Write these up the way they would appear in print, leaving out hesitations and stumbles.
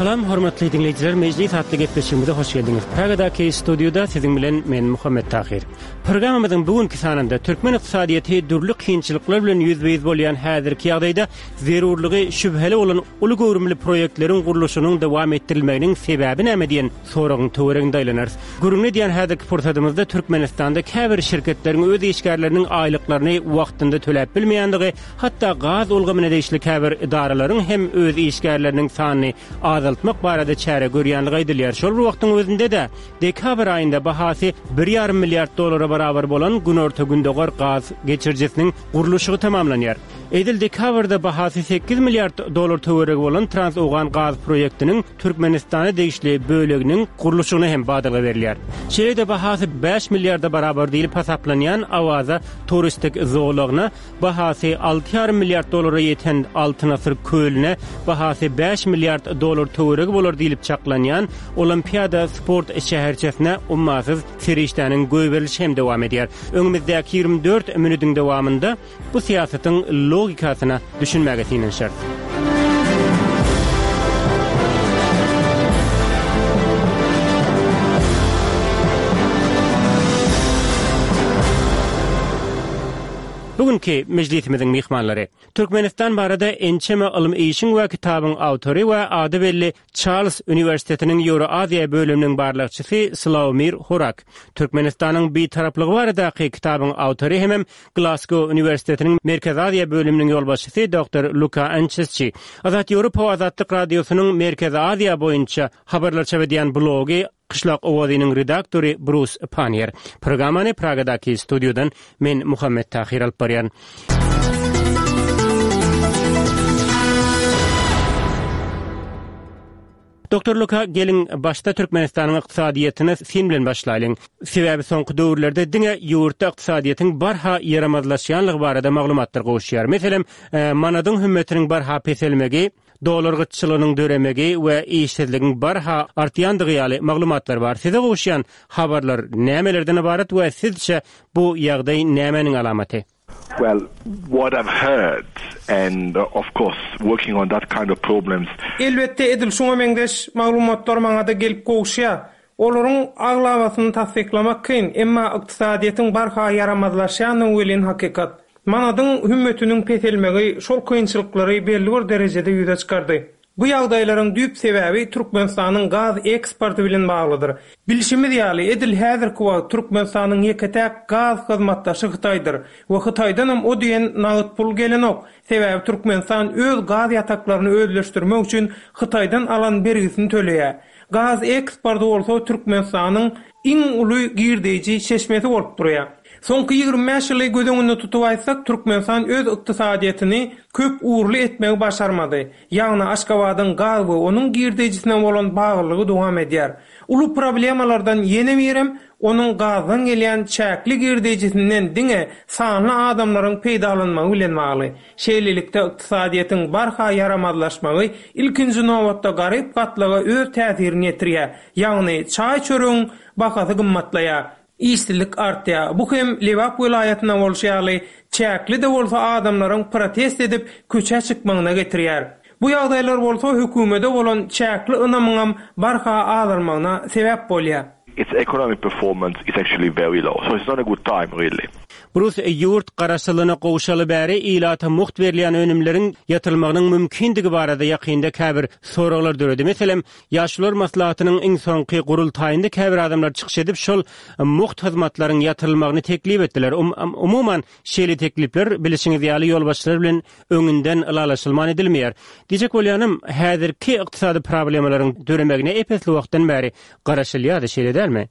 Salam hormatly diňleýjiler, Mejlis atly gepleşigimize hoş geldiňiz. Pragadaky studiýada siziň bilen men Muhammet Tahyr. Programmamyzyň bu günki sanynda türkmen ykdysadyýeti dürli kynçylyklar bilen ýüzbe-ýüz bolýan häzirki ýagdaýda zerurlygy şübheli bolan uly göwrümli proýektleriň gurluşygynyň dowam etdirilmeginiň sebäbi näme diýen soragyň töwereginde aýlanarys. Gürrüňini edýän häzirki pursadymyzda Türkmenistanda käbir şirketleriň öz işgärleriniň aýlyklaryny wagtynda töläp bilmeýändigi, hatda gaz ulgamyna degişli käbir edaralaryň hem öz işgärleriniň sanyny azaltmak barada çäre görýändigi aýdylýar. Şol bir wagtyň özünde-de, dekabr aýynda bahasy bir ýarym milliard dollara barabar bolan Günorta-Gündogar gaz geçirijisiniň gurluşygy tamamlanýar. Edil dekabrda bahasy sekiz milliard dollar töweregi bolan Trans-Owgan gaz proýektiniň Türkmenistana degişli böleginiň gurluşygyna hem badalga berilýär. Şeýle-de bahasy bäş milliarda barabar diýlip hasaplanýan Awaza turistik zolagyna, bahasy alty ýarym milliard dollara ýeten Altyn asyr kölüne, bahasy bäş milliard dollar töweregi bolar diýlip çaklanýan Olimpiada sport şäherçesine ummasyz serişdäniň goýberilişi hem dowam edýär. Öňümizdäki 24 minutiň dowamynda Bu syýasatyň logikasyna düşünmäge synanyşarys. Bu günki mejlisimiziň myhmanlary, Türkmenistan barada ençeme ylmy işiň we kitabyň awtory we ady belli Çarlz uniwersitetiniň Ýewroaziýa bölüminiň barlagçysy Slawomir Horak, Türkmenistanyň Bitaraplygy baradaky kitabyň awtory hemem Glasgow uniwersitetiniň Merkezi Aziýa bölüminiň ýolbaşçysy doktor Luka Ançesçi, Azat Ýewropa we Azatlyk Radiosynyň Merkezi Aziýa boýunça habarlar çap edýän blogy Kyşlak owazynyň redaktory Brus Panniýer. Programmany Pragadaky studiýadan men Muhammet Tahyr alyp barýan. Doktor Luka, geliň, başda Türkmenistanyň ykdysadyýetine syn bilen başlaýlyň. Sebäbi soňky döwürlerde diňe ýurtda ykdysadyýetiň barha ýaramazlaşýanlygy barada maglumatlar gowuşýar. Meselem, manadyň hümmetiniň barha peselmegi, dollar gytçylygynyň döremegi we işsizligiň barha artýandygy ýaly maglumatlar bar. Size gowuşýan habarlar nämelerden ybarat we sizçe bu ýagdaý nämäniň alamaty? Well, what I've heard and of course working on that kind of problems. Elbetde edil şuňa meňzeş maglumatlar maňada gelip gowuşýar. Olaryň aglabasyny tassyklamak kyn, emma ykdysadyýetiň barha ýaramazlaşýandygy welin hakykat. Manadyň hümmetiniň peselmegi şol kynçylyklary belli bir derejede ýüze çykardy. Bu ýagdaýlaryň düýp sebäbi Türkmenistanyň gaz eksporty bilen baglydyr. Bilşimiz ýaly, edil häzirki wagt Türkmenistanyň ýeke-täk gaz hyzmatdaşy Hytaýdyr we Hytaýdanam o diýen nagt pul gelenok. Sebäbi Türkmenistan öz gaz ýataklaryny özleşdirmek üçin Hytaýdan alan bergisini töleýär. Gaz eksporty bolsa Türkmenistanyň iň uly girdeýji çeşmesi bolup durýar. Soňky 25 ýyly göz öňünde tutup aýtsak, Türkmenistan öz ykdysadyýetini köp ugurly etmegi başarmady. Ýagny Aşgabadyň gaz we onuň girdeýjisine bolan baglylygy dowam edýär. Uly problemalardan ýene birem onuň gazdan gelýän çäkli girdeýjisinden diňe sanly adamlaryň peýdalanmagy bilen bagly. Şeýlelikde, ykdysadyýetiň barha ýaramazlaşmagy ilkinji nobatda garyp gatlaga öz täsirini ýetirýär, ýagny çaý-çöregiň bahasy gymmatlaýar, işsizlik artýar. Bu hem Lebap welaýatynda bolşy ýaly, çäkli-de bolsa adamlaryň protest edip köçä çykmagyna getirýär. Bu ýagdaýlar bolsa hökümede bolan çäkli ynamyňam barha azalmagyna sebäp bolýar. Its economic performance is actually very low, so it's not a good time really. Brus ýurt garaşsyzlygyna gowşaly bäri ilata mugt berilýän önümleriň ýatyrylmagynyň mümkindigi barada ýakynda käbir soraglar döredi. Meselem, Ýaşulular maslahatynyň iň soňky gurultaýynda käbir adamlar çykyş edip, şol mugt hyzmatlaryň ýatyrylmagyny teklip etdiler. Umuman, şeýle teklipler, bilişiňiz ýaly, ýolbaşçylar bilen öňünden ylalaşylman edilmeýär. Diýjek bolýanym, häzirki ykdysady problemalaryň döremegine ep-esli wagtdan bäri garaşylýardy, şeýle dälmi?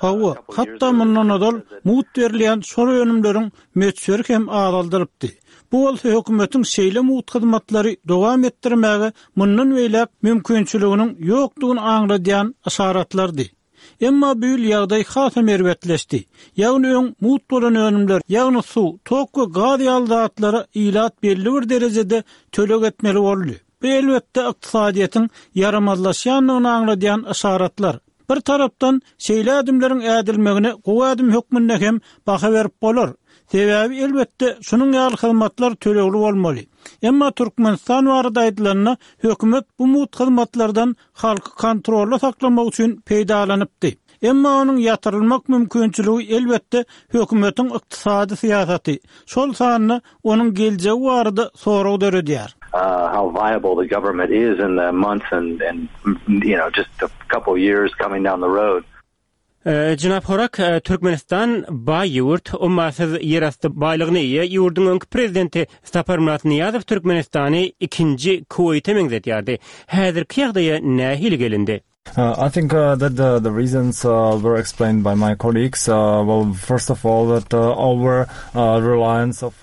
Hawa, hatda mundan ozal mugt berilýän şol önümleriň möçberi hem azaldylypdy. Bu bolsa hökümetiň şeýle mugt hyzmatlary dowam etdirmäge mundan beýläk mümkinçiliginiň ýokdugyny aňladýan yşaratlardy. Emma bu ýyl ýagdaý hasam erbetleşdi. Ýagny öň mugt bolan önümler, ýagny suw, tok we gaz ýaly zatlara ilat belli bir derejede töleg etmeli boldy. Bu elbetde ykdysadyýetiň ýaramazlaşýandygyny aňladýan yşaratlar. Bir tarapdan, şeýle ädimleriň ädilmegine gowy ädim hökmünde hem baha berip bolar. Sebäbi, elbetde, şunuň ýaly hyzmatlar tölegli bolmaly. Emma Türkmenistan barada aýdylanda, hökümet bu mugt hyzmatlardan halky kontrolda saklamak üçin peýdalanypdy. Emma onuň ýatyrylmak mümkinçiligi, elbetde, hökümetiň ykdysady syýasaty, şol sanda onuň geljegi barada sorag döredýär. how viable the government is in the months and and you know just a couple years coming down the road. Jenap Horak, Türkmenistan baý ýurt, ummasyz ýerasty baýlygyna eýe. Ýurduň öňki prezidenti Saparmyrat Nyýazow Türkmenistany ikinji Kuweýte meňzedýärdi. Häzirki ýagdaýa nähili gelindi? I think that the the reasons were explained by my colleagues. Well, first of all that our reliance of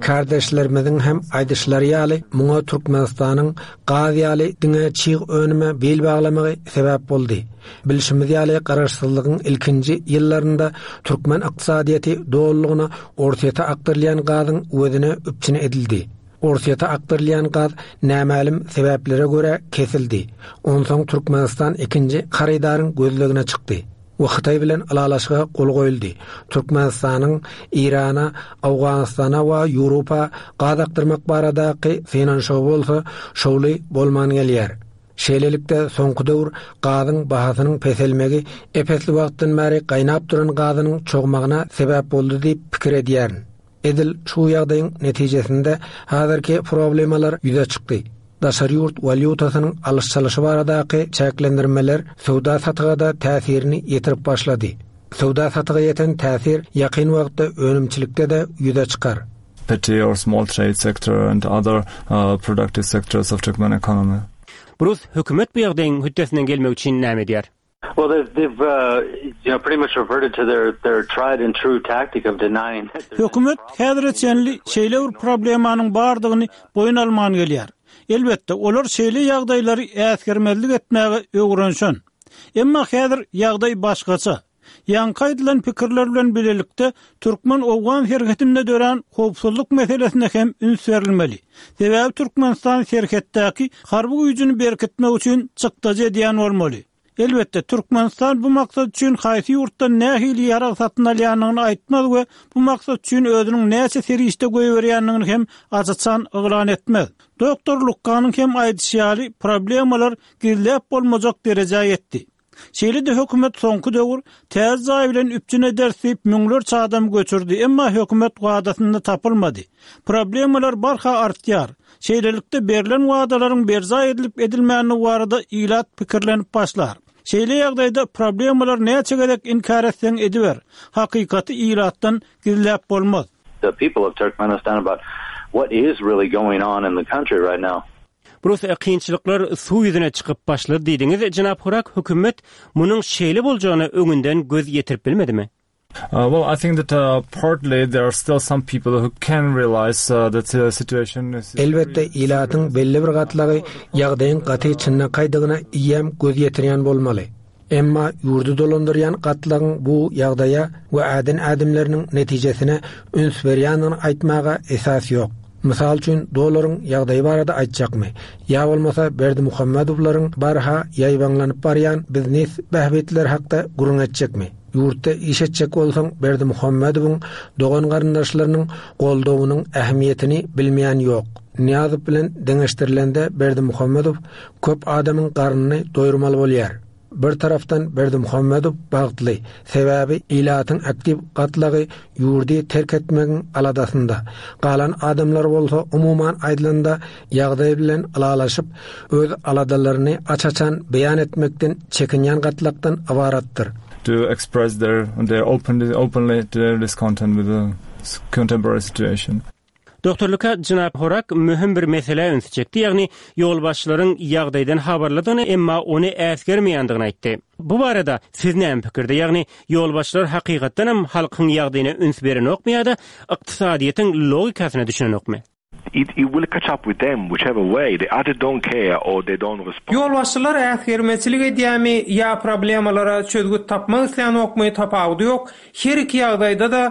Kärdeşlerimiziň hem aýdyşlary ýaly, muňa Türkmenistanyň gaz ýaly diňe çig önüme bil baglamagy sebäp boldy. Bilşimiz ýaly, garaşsyzlygyň ilkinji ýyllarynda türkmen ykdysadyýeti dolulygyna Orsýete akdyrylýan gazyň öwezine üpjün edildi. Orsýete akdyrylýan gaz nämälim sebäplere görä kesildi. Onsoň Türkmenistan ikinji harydaryň gözlegine çykdy we Hytaý bilen ylalaşyga gol goýuldy. Türkmenistanyň Eýrana, Owganystana we Ýewropa gaz akdyrmak baradaky synanyşygy bolsa şowly bolman gelýär. Şeýlelikde, soňky döwür gazyň bahasynyň peselmegi ep-esli wagtdan bäri gaýnap duran gazynyň çogmagyna sebäp boldy diýip pikir edýärin. Edil şu ýagdaýyň netijesinde häzirki problemalar ýüze çykdy. Daşary ýurt walýutasynyň alyş-çalyşy baradaky çäklendirmeler söwda-satyga-da täsirini ýetirip başlady. Söwda-satyga ýeten täsir ýakyn wagtda önümçilikde-de ýüze çykar. Petty or small trade sector and other productive sectors of Turkmen economy. Brus, hökümet bu ýagdaýyň hötdesinden gelmek üçin näme edýär? Well they've they've you know pretty much reverted to their their tried and true tactic of denying that there's Hökümet häzire çenli şeýle bir problemanyň bardygyny boýun alman gelýär. Elbetde, olar şeýle ýagdaýlary äsgermezlik etmäge öwrenişen. Emma häzir ýagdaý başgaça. Ýaňky aýdylan pikirler bilen bilelikde türkmen-owgan serhedinde dörän howpsuzlyk meselesine hem üns berilmeli. Sebäbi Türkmenistan serhetdäki harby güýjüni berkitmek üçin çykdajy edýän bolmaly. Elbetde, Türkmenistan bu maksat üçin haýsy ýurtdan nähili ýarag satyn alýandygyny aýtmaz we bu maksat üçin özüniň näçe serişde goýberýändigini hem aç-açan yglan etmez. Doktor Lukkanyň hem aýdyşy ýaly, problemalar gizläp bolmajak derejä ýetdi. Şeýle-de hökümet soňky döwür täze jaý bilen üpjün ederis diýip müňlerçe adamy göçürdi, emma hökümet wadasynda tapylmady. Problemalar barha artýar. Şeýlelikde berlen wadalaryň berjaý edilip-edilmändigi barada ilat pikirlenip başlar. Şeýle ýagdaýda problemalary näçe gezek inkär etseň ediber, hakykaty ilatdan gizläp bolmaz. The people of Turkmenistan about what is really going on in the country right now. Brus, kynçylyklar suw ýüzüne çykyp başlady diýdiňiz, jenap Hurak, hökümet munuň şeýle boljagyna öňünden göz ýetirip bilmedimi? Well, I think that partly there are still some people who can realize that the situation is Elbetde, ilatyň belli bir gatlagy ýagdaýyň gaty çynlakaýdygyna eýýäm göz ýetirýän bolmaly. Emma ýurdy dolandyrýan gatlagyň bu ýagdaýa we äden ädimleriniň netijesine üns berýändigini aýtmaga esas ýok. Mysal üçin, dollaryň ýagdaýy barada aýtjakmy? Ýa bolmasa Berdimuhamedowlaryň barha ýaýbaňlanyp barýan biznes bähbitleri hakda gürrüň etjekmi? Ýurtda iş etjek bolsaň Berdimuhamedowyň dogan-garyndaşlarynyň goldawynyň ähmiýetini bilmeýän ýok. Nyýazow bilen deňeşdirilende Berdimuhamedow Köp adamyň garnyny doýurmaly bolýar. Bir tarapdan Berdimuhamedow bagtly, sebäbi ilatyň aktiw gatlagy ýurdy terk etmegiň aladasynda. Galan adamlar bolsa umuman aýdylanda ýagdaý bilen ylalaşyp, öz aladalaryny aç-açan beýan etmekden çekinýän gatlakdan ybaratdyr. To express their their openly openly their discontent with the contemporary situation. Doktor Luka, jenap Horak möhüm bir meselä ünsi çekdi, ýagny ýolbaşçylaryň ýagdaýdan habarlydygyny, emma ony äsgermeýändigini aýtdy. Bu barada siz näme pikirde, ýagny ýolbaşçylar hakykatdanam halkyň ýagdaýyna üns berenokmy ýa-da ykdysadyýetiň logikasyna düşünenokmy? It will catch up with them whichever way, they either don't care or they don't respond. Ýolbaşçylar äsgermezçilik edýärmi ýa problemalara çözgüt tapmak islänokmy tapawudy ýok, her iki ýagdaýda-da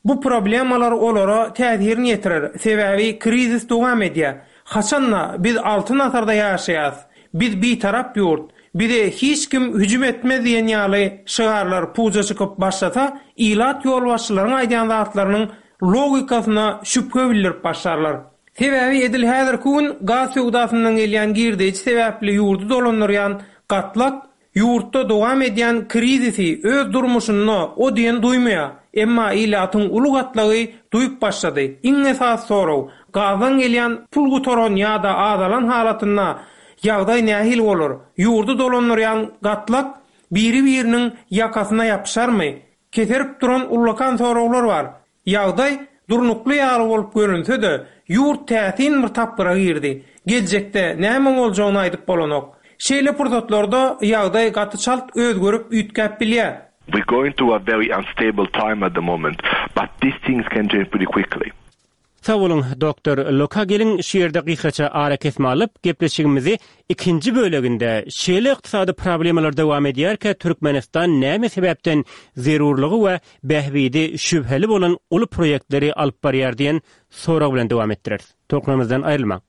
Bu problemalar olara täsirini ýetirer, sebäbi krizis dowam edýär. Haçan-da biz Altyn asyrda ýaşaýas, biz bitarap ýurt, bize hiç kim hüjüm etmez diýen ýaly şygarlar puja çykyp başlasa, ilat ýolbaşçylaryň aýdýan zatlarynyň. logikasyna şübhe bildirip başlarlar. Sebäbi edil häzirki gün gaz söwdasyndan gelýän girdeýji sebäpli ýurdy dolandyrýan gatlak ýurtda dowam edýän krizisi öz durmuşynda o diýen duýmaýar. Emma ilatyň uly gatlagy duýup başlady. Iň esasy sorag, gazdan gelýän pul gutaran ýa-da azalan halatynda ýagdaý nähili bolar? Ýurdy dolandyrýan gatlak biri-biriniň ýakasyna ýapyşarmy? Keserip duran ullakan soraglar bar. Ýagdaý durnukly ýaly bolup görünse-de, ýurt täsin bir tapgyra girdi. Geljekde näme boljagyny aýdyp bolanok. Şeýle pursatlarda ýagdaý gaty çalt özgerip, üýtgäp bilýär. We're going through a very unstable time at the moment, but these things can change pretty quickly. Sag boluň, doktor Luka. Geliň, şu ýerde gysgaça arakesme alyp, gepleşigimizi ikinji böleginde şeýle ykdysady problemalar dowam edýärkä Türkmenistan näme sebäpden zerurlygy we bähbidi şübheli bolan uly proýektleri alyp barýar diýen sorag bilen dowam etdireris. Tolkunlarymyzdan aýrylmaň.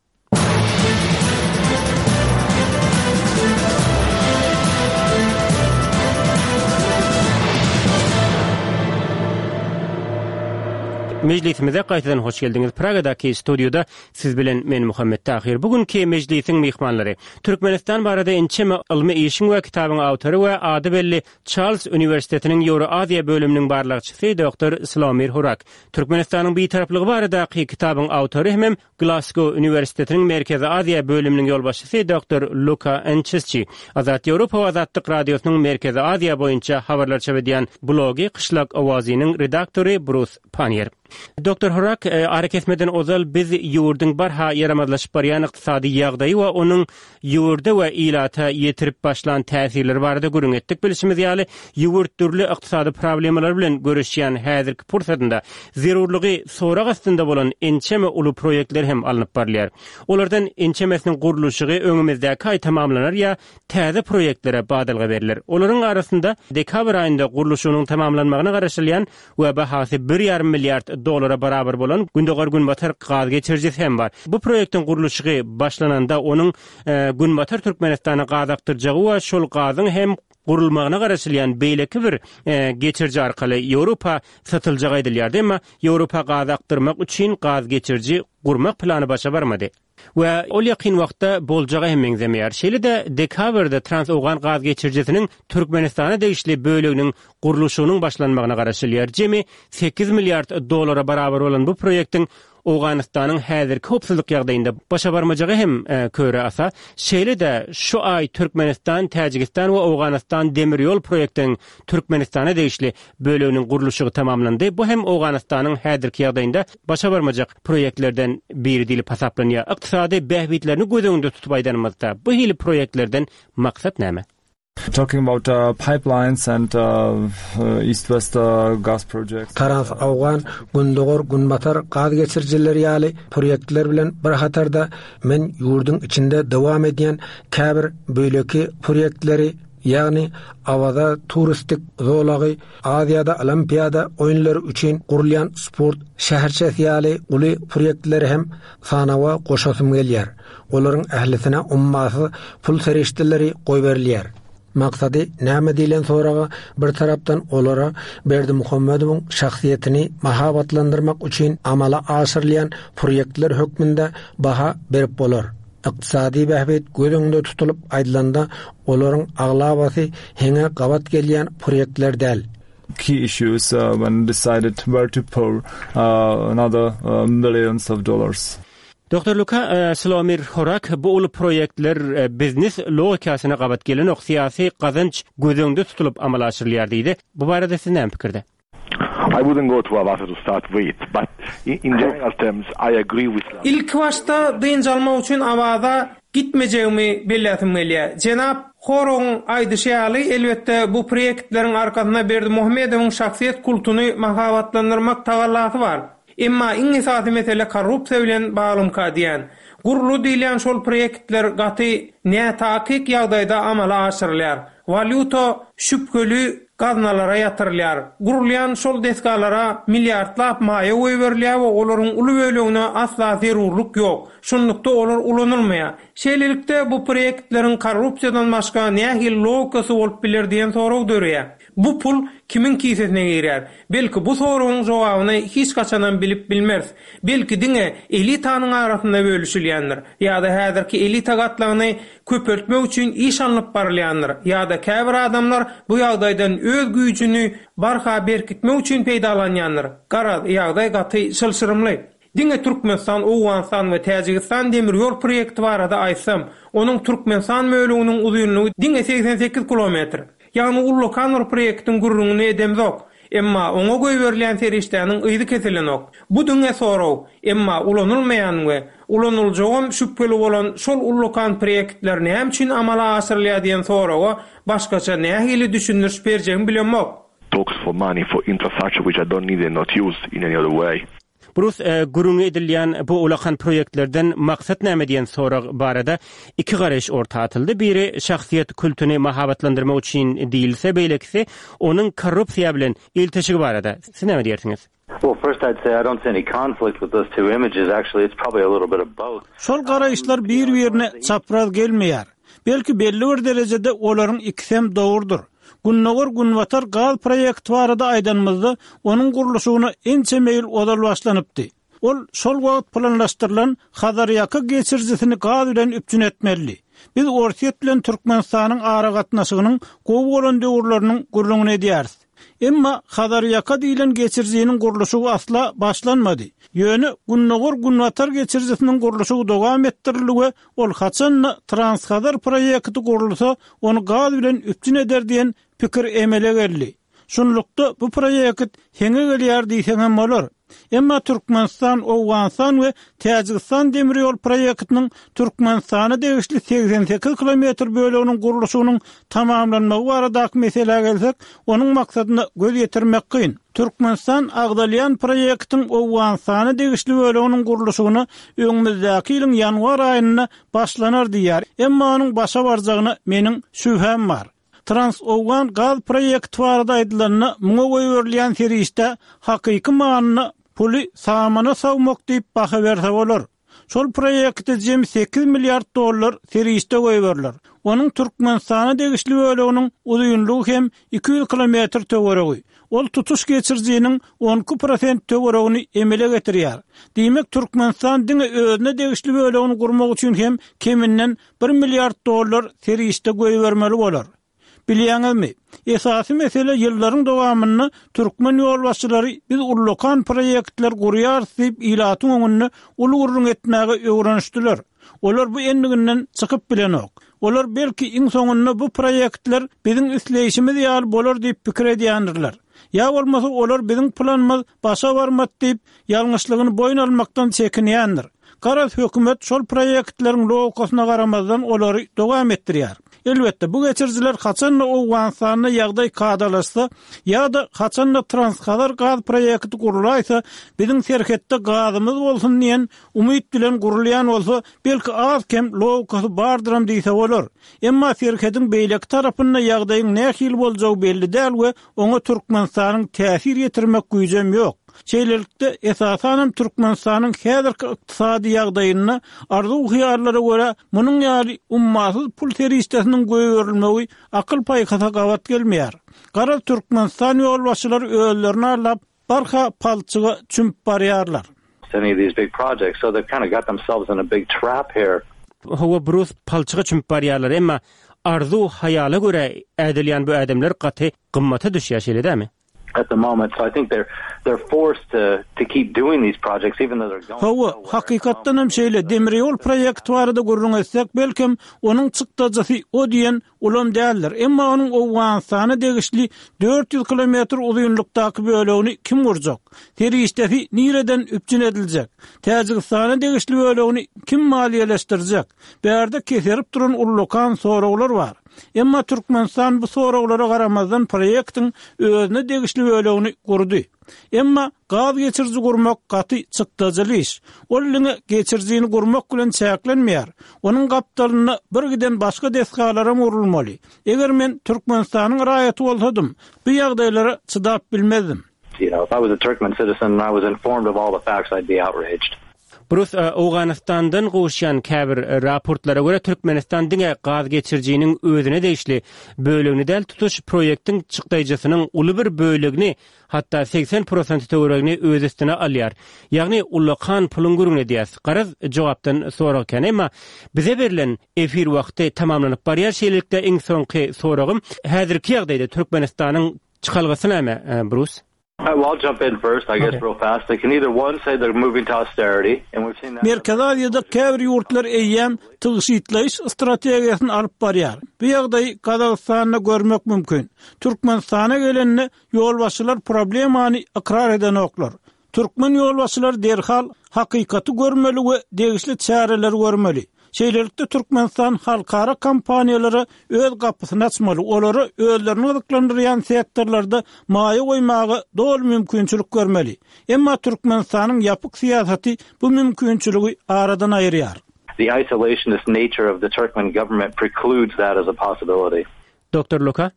Mejlisimize gaýtadan hoş geldiňiz. Pragadaky studiýada siz bilen men Muhammet Tahyr. Bu günki mejlisiň myhmanlary Türkmenistan barada ençeme ylmy işiň we kitabyň awtory we ady belli Çarlz uniwersitetiniň Ýewroaziýa bölüminiň barlagçysy doktor Slawomir Hurak, Türkmenistanyň Bitaraplygy baradaky kitabyň awtory hemem Glasgow uniwersitetiniň Merkezi Aziýa bölüminiň ýolbaşçysy doktor Luka Ençisçi, Azat Ýewropa we Azatlyk Radiosynyň Merkezi Aziýa boýunça habarlar çap edýän blogy Kyşlak owazynyň redaktory Brus Pannier. Doktor Horak, arakesmeden ozal biz ýurduň barha ýaramazlaşyp barýan ykdysady ýagdaýy we onuň ýurda we ilata ýetirip başlan täsirleri barada gürrüň etdik. Bilşimiz ýaly, ýurt dürli ykdysady problemalar bilen göreşýän häzirki pursatynda zerurlygy sorag astynda bolan ençeme uly proýektler hem alnyp barylýar. Olardan ençemesiniň gurluşygy öňümizdäki aý tamamlanar ýa täze proýektlere badalga berler. Olaryň arasynda dekabr aýynda gurluşygynyň tamamlanmagyna garaşylýan we bahasy bir ýarym milliard dollara barabar bolan Gündogar-Günbatar gaz geçirijisi hem bar. Bu proýektiň gurluşygy başlananda onuň Günbatar Türkmenistana gaz akdyrjagy we şol gazyň hem gurulmagyna garaşylýan beýleki bir geçiriji arkaly Ýewropa satyljagy aýdylýardy. Emma Ýewropa gaz akdyrmak üçin gaz geçiriji gurmak plany başa barmady. We ol ýakyn wagtda boljaga hem meňzemeýär. Şeýle-de dekabrda Trans-Owgan gaz geçirijisiniň Türkmenistana degişli böleginiň gurluşygynyň başlanmagyna garaşylýar. Jemi sekiz milliard dollara barabar bolan bu proýektiň Owganystanyň häzirki howpsuzlyk ýagdaýynda başa barmajagy hem köre asa. Şeýle-de şu aý Türkmenistan, Täjigistan we Owganystan demir ýol proýektiniň Türkmenistana degişli böleginiň gurluşygy tamamlandy. Bu hem Owganystanyň häzirki ýagdaýynda başa barmajak proýektlerden biri diýlip hasaplanýar. Ykdysady bähbitlerini göz öňünde tutup aýdanymyzda, bu hili proýektlerden maksat näme? Talking about pipelines and East-West gas projects. Trans-Owgan, Gündogar-Günbatar gaz geçirijileri ýaly proýektler bilen bir hatarda men ýurduň içinde dowam edýän käbir beýleki proýektleri Ýagny Awaza turistik zolagy Aziýada Olimpiada oýunlary üçin gurulýan sport şäherçesi ýaly uly proýektleri hem sanawa goşasym gelýär. Olaryň ählisine ummasyz pul serişdeleri goýberilýär. Maksady näme diýlen soraga bir tarapdan olara Berdimuhamedowyň şahsyýetini mahabatlandyrmak üçin amala aşyrylýan proýektler hökmünde baha berip bolar. Ykdysady bähbit göz öňünde tutulyp aýdylanda, olaryň aglabasy heňe gabat gelýän proýektler däl. Key issues when decided where to pour another millions of dollars. Doktor Luka Slomir Horak bu uly proýektler biznes logikasyna gabat gelenok, syýasy gazanç göz öňünde tutulyp amala aşyrylýar diýdi. Bu barada siz näme pikirde? I wouldn't go to Avaza to start with, but in general terms I agree with. Ilkibaşda dynç almak üçin Awaza gitmejegimi belläsim gelýär. Jenap Horogyň aýdyşy ýaly, elbetde, bu proýektleriň arkasynda Berdimuhamedowyň şahsyýet kultuny mahabatlandyrmak tagallasy bar. Emma iň esasy mesele korrupsiýa bilen baglymyka diýän. Guruldy diýilýän şol proýektler gaty nätakyk ýagdaýda amala aşyrylýar. Walýuta şübheli gaznalara ýatyrylýar. Gurulýan şol desgalara milliardlap maýa goýberilýär we olaryň uly bölegine asla zerurlyk ýok. Şunlukda olar ulanylmaýar. Şeýlelikde, bu proýektleriň korrupsiýadan başga nähili logikasy bolup biler diýen sorag döreýär. Bu pul kimiň kisesine girýär? Belki bu soragyň jogabyny hiç haçanam bilip bilmeris. Belki diňe elitanyň arasynda bölüşilýändir. Ýa-da häzirki elita gatlagyny köpeltmek üçin iş alnyp barylýandyr. Ýa-da käbir adamlar bu ýagdaýdan öz güýjüni barha berkitmek üçin peýdalanýandyr. Garaz, ýagdaý gaty çylşyrymly. Diňe Türkmenistan, Owganystan we Täjigistan demir ýol proýekti barada aýtsam, onuň Türkmenistan böleginiň uzynlygy diňe 88 kilometr. Ýagny ullakan bir proýektiň gürrüňini edemzok. Emma oňa goýberilýän serişdäniň yzy kesilenok. Bu diňe sorag. Emma ulanylmaýan we ulanyljagam şübheli bolan şol ullakan proýektler näme üçin amala aşyrylýar diýen soraga başgaça nähili düşündiriş berjegimi bilemok. Talks for money for infrastructure which I don't need and not used in any other way. Brus, gürrüňi edilýän bu ulakan proýektlerden maksat näme diýen sorag barada iki garaýyş orta atyldy. Biri şahsyýet kultuny mahabatlandyrmak üçin diýilse, beýlekisi onuň korrupsiýa bilen ilteşigi barada. Siz näme diýersiňiz? Well, first I'd say I don't see any conflict with those two images. Actually, it's probably a little bit of both. Şol garaýyşlar bir-birine çapraz gelmeýär. Belki belli bir derejede olaryň ikisem dogrudyr. Gündogar-Günbatar gaz proýekti barada aýdanymyzda, onuň gurluşygyna ençeme ýyl ozal başlanypdy. Ol şol wagt planlaşdyrylan Hazarýaka geçirijisini gaz bilen üpjün etmelidi. Biz Orsýet bilen Türkmenistanyň aragatnaşygynyň gowy bolan döwürleriniň gürrüňini edýäris. Emma Hazarýaka diýlen geçirijiniň gurluşygy asla başlanmady. Ýöne Gündogar-Günbatar geçirijisiniň gurluşygy dowam etdirildi we ol haçan-da Transhazar proýekti gurulsa, ony gaz bilen üpjün eder diýen pikir emele geldi. Şunlukda, bu proýekt heňe gelýär diýseňem bolar. Emma Türkmenistan, Owganystan we Täjigistan demir ýol proýektiniň Türkmenistana degişli 88 kilometr böleginiň gurluşygynyň tamamlanmagy baradaky meselä gelsek, onuň maksadyna göz ýetirmek kyn. Türkmenistan agzalýan proýektiň Owganystana degişli böleginiň gurluşygyna öňümizdäki ýylyň ýanwar aýynda başlanar diýýär, emma onuň başa barjagyna meniň şübhäm bar. Trans-Owgan gaz proýekti barada aýdylanda, muňa goýberilýän serişdä hakyky manyda puly samana sowmak diýip baha berse bolar. Şol proýekte jemi sekiz milliard dollar serişde goýberiler. Onuň Türkmenistana degişli böleginiň uzynlygy hem 200 kilometr töweregi. Ol tutuş geçirijiniň 12 prosent töweregini emele getirýär. Diýmek, Türkmenistan diňe özüne degişli bölegini gurmak üçin hem keminden bir milliard dollar serişde goýbermeli bolar. Bilýäňizmi, esasy mesele ýyllaryň dowamynda türkmen ýolbaşçylary biz ullakan proýektler gurýarys diýip ilatyň öňünde uly gürrüň etmäge öwrenişdiler. Olar bu endiginden çykyp bilenok. Olar belki iň soňunda bu proýektler biziň isleýşimiz ýaly bolar diýip pikir edýändirler. Ýa bolmasa olar biziň planymyz başa barmady diýip ýalňyşlygyny boýun almakdan çekinýändir. Garaz, hökümet şol proýektleriň logikasyna garamazdan olary dowam etdirýär. Elbetde, bu geçirijiler haçan-da Owganystanda ýagdaý kadalaşsa ýa-da haçan-da Transhazar gaz proýekti gurulaýsa, biziň serhetde gazymyz bolsun diýen umyt bilen gurulýan bolsa, belki az-kem logikasy bardyram diýse bolar. Emma serhediň beýleki tarapynda ýagdaýyň nähili boljagy belli däl we oňa Türkmenistanyň täsir ýetirmek güýjem ýok. Şeýlelikde, esasanam Türkmenistanyň häzirki ykdysady ýagdaýynda arzuw-hyýallara görä munuň ýaly ummasyz pul serişdesiniň goýberilmegi akyl-paýhasa gabat gelmeýär. Garaz, Türkmenistan ýolbaşçylary özlerini aldap, barha palçyga çümüp barýarlar. Any of these big projects, so they've kind of got themselves in a big trap here. Hawa, Brus, palçyga çümüp barýarlar, emma arzuw-hyýala görä ädilýän bu ädimler gaty gymmata düşýär, şeýle dälmi? At the moment, so I think they're they're forced to to keep doing these projects even though they're going Hawa, hakykatdan hem şeýle, demir ýol proýekti barada gürrüň etsek, belkem, onuň çykdajysy o diýen ulam däldir, emma onuň Owganystana degişli 400 kilometr uzynlykdaky bölegini kim gurjak? Serişdesi nireden üpjün ediljek? Täjigistana degişli bölegini kim maliýeleşdirjek? Bärde keserip duran ullakan soraglar bar. Emma Türkmenistan bu soraglara garamazdan proýektiň özüne degişli bölegini gurdy. Emma gaz geçiriji gurmak gaty çykdajyly iş. Ol diňe geçirijini gurmak bilen çäklenmeýär. Onuň gapdalynda bir giden başga desgalaram gurulmaly. Eger men Türkmenistanyň raýaty bolsadym, bu ýagdaýlara çydap bilmezdim. You know, if I was a Turkmen citizen and I was informed of all the facts, I'd be outraged. Brus, Owganystandan gowuşýan käbir raportlara görä, Türkmenistan diňe gaz geçirijiniň özüne degişli bölegini däl, tutuş proýektiň çykdaýjysynyň uly bir bölegini, hatda 80 prosenti töweregini öz üstüne alýar. Ýagny ullakan puluň gürrüňini edýäs. Garaz, jogapdan sorag kän. Emma bize berlen efir wagty tamamlanyp barýar. Şeýlelikde, iň soňky soragym, häzirki ýagdaýda Türkmenistanyň çykalgasy näme, Brus? Merkezi Aziýada käbir ýurtlar eýýäm tygşytlaýyş strategiýasyny alyp barýar. Bu ýagdaýy Gazagystanda görmek mümkin. Türkmenistana gelende ýolbaşçylar problemany ykrar edenoklar. Türkmen ýolbaşçylary derhal hakykaty görmeli we degişli çäreleri görmeli. Şeýlelikde Türkmenistan halkara kompaniýalara öz gapysyny açmaly, olara özlerini gyzyklandyrýan sektorlarda maýa goýmaga doly mümkinçilik bermeli. Emma Türkmenistanyň ýapyk syýasaty bu mümkinçiligi aradan aýyrýar. The isolationist nature of the Turkmen government precludes that as a possibility. Doktor Luka?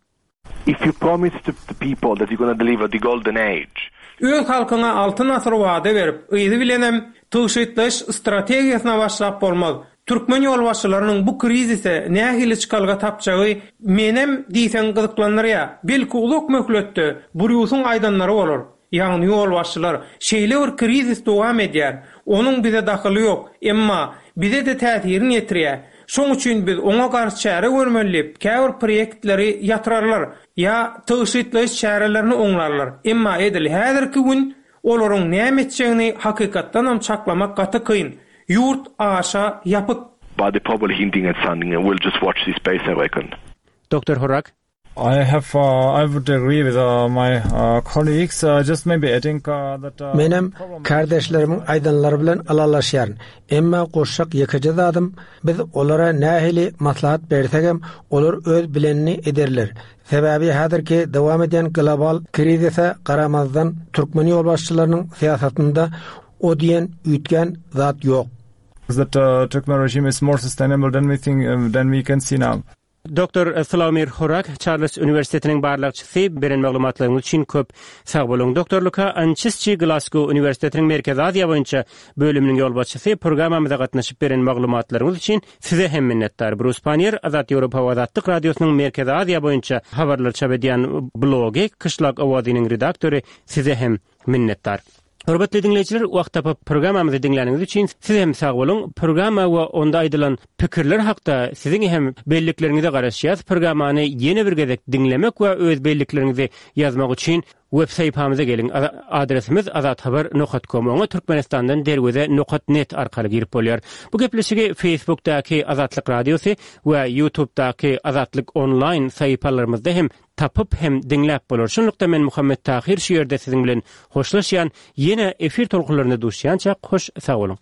If you promise to the people that you're gonna deliver the golden age. Öz halkyňa altyn asyr wada berip, yzy bilenem tygşytlaýyş strategiýasyna başlap bolmaz. Türkmen ýolbaşçylarynyň bu krizise nähili çykalga tapjagy menem diýseň gyzyklandyrýar. Belki uzak möhletde Brýusyň aýdanlary bolar. Ýagny ýolbaşçylar, şeýle bir krizis dowam edýär, onuň bize dahyly ýok, emma bize-de täsirini ýetirýär. Şoň üçin biz oňa garşy çäre görmeli diýip, käbir proýektleri ýatyrarlar ýa tygşytlaýyş çärelerini oňlarlar. Emma edil häzirki gün olaryň näme etjegini hakykatdanam çaklamak gaty kyn. Ýurt aşa ýapyk. But they're probably hinting at something and we'll just watch this space I reckon. Doktor Horak. I have I would agree with my colleagues just maybe adding that Menem kärdeşlerimiň aýdanlary bilen ylalaşýaryn. Emma goşjak ýekeje zadym, biz olara nähili maslahat bersegem, olar öz bilenini ederler. Sebäbi häzirki dowam edýän global krizise garamazdan, türkmen ýolbaşçylarynyň syýasatynda o diýen üýtgän zat ýok. That Turkmen regime is more sustainable than we think, than we can see now. Doktor Slawomir Horak, Çarlz uniwersitetiniň barlagçysy, beren maglumatlaryňyz üçin köp sag boluň. Doktor Luka Ançisçi, Glasgow uniwersitetiniň Merkezi Aziýa boýunça bölüminiň ýolbaşçysy, programmamyza gatnaşyp beren maglumatlaryňyz üçin size hem minnetdar. Brus Pannier, Azat Ýewropa we Azatlyk Radiosynyň Merkezi Aziýa boýunça habarlary çap edýän blogy Kyşlak owazynyň redaktory, size hem minnetdar. Hormatly diňleýjiler, wagt tapyp programmamyzy diňläniňiz üçin siz hem sag boluň. Programma we onda aýdylan pikirler hakda siziň hem bellikleriňize garaşýas. Programmany ýene bir gezek diňlemek we öz bellikleriňizi ýazmak üçin web sahypamyza geliň. Adresimiz azathabar nokat kom. Oňa Türkmenistandan derweze nokat net arkaly girip bolýar. Bu gepleşigi Facebookdaky Azatlyk Radiosy we Youtubedaky Azatlyk Online sahypalarymyzda hem tapyp hem diňläp bolar. Şunlukda men Muhammet Tahyr şu ýerde siziň bilen hoşlaşýan, ýene efir tolkunlarynda duşýançak hoş sag boluň.